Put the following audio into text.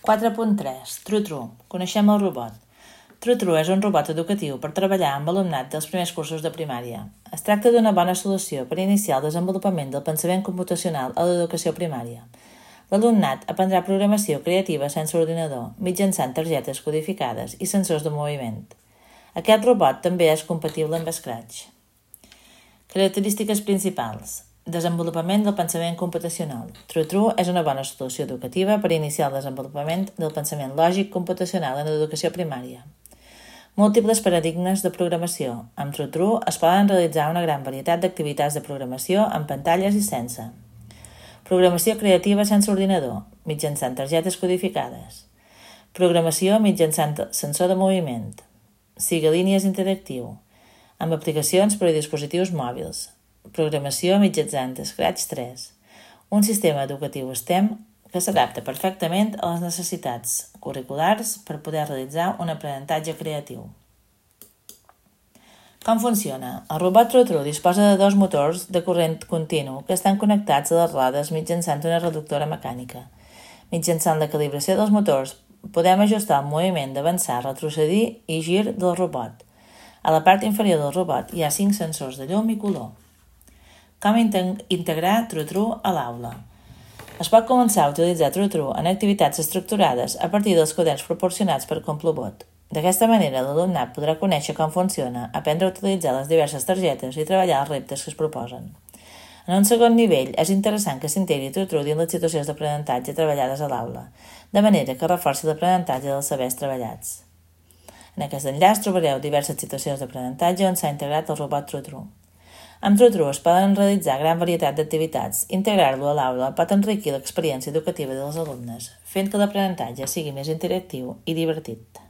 4.3. Tru-Tru. Coneixem el robot. Tru-Tru és un robot educatiu per treballar amb alumnat dels primers cursos de primària. Es tracta d'una bona solució per iniciar el desenvolupament del pensament computacional a l'educació primària. L'alumnat aprendrà programació creativa sense ordinador, mitjançant targetes codificades i sensors de moviment. Aquest robot també és compatible amb Scratch. Característiques principals. Desenvolupament del pensament computacional. Tru-Tru és una bona solució educativa per iniciar el desenvolupament del pensament lògic computacional en l'educació primària. Múltiples paradigmes de programació. Amb Tru-Tru es poden realitzar una gran varietat d'activitats de programació en pantalles i sense. Programació creativa sense ordinador, mitjançant targetes codificades. Programació mitjançant sensor de moviment. Sigalínies interactiu, amb aplicacions per a dispositius mòbils. Programació mitjançant Scratch 3, un sistema educatiu STEM que s'adapta perfectament a les necessitats curriculars per poder realitzar un aprenentatge creatiu. Com funciona? El robot Tru-Tru disposa de dos motors de corrent continu que estan connectats a les rodes mitjançant una reductora mecànica. Mitjançant la calibració dels motors podem ajustar el moviment d'avançar, retrocedir i gir del robot. A la part inferior del robot hi ha 5 sensors de llum i color. Com integrar Tru-Tru a l'aula? Es pot començar a utilitzar Tru-Tru en activitats estructurades a partir dels quaderns proporcionats per Complobot. D'aquesta manera, l'alumnat podrà conèixer com funciona, aprendre a utilitzar les diverses targetes i treballar els reptes que es proposen. En un segon nivell, és interessant que s'integri Tru-Tru dins les situacions d'aprenentatge treballades a l'aula, de manera que reforci l'aprenentatge dels sabers treballats. En aquest enllaç trobareu diverses situacions d'aprenentatge on s'ha integrat el robot Tru-Tru. Amb Tru-Tru es poden realitzar gran varietat d'activitats. Integrar-lo a l'aula pot enriquir l'experiència educativa dels alumnes, fent que l'aprenentatge sigui més interactiu i divertit.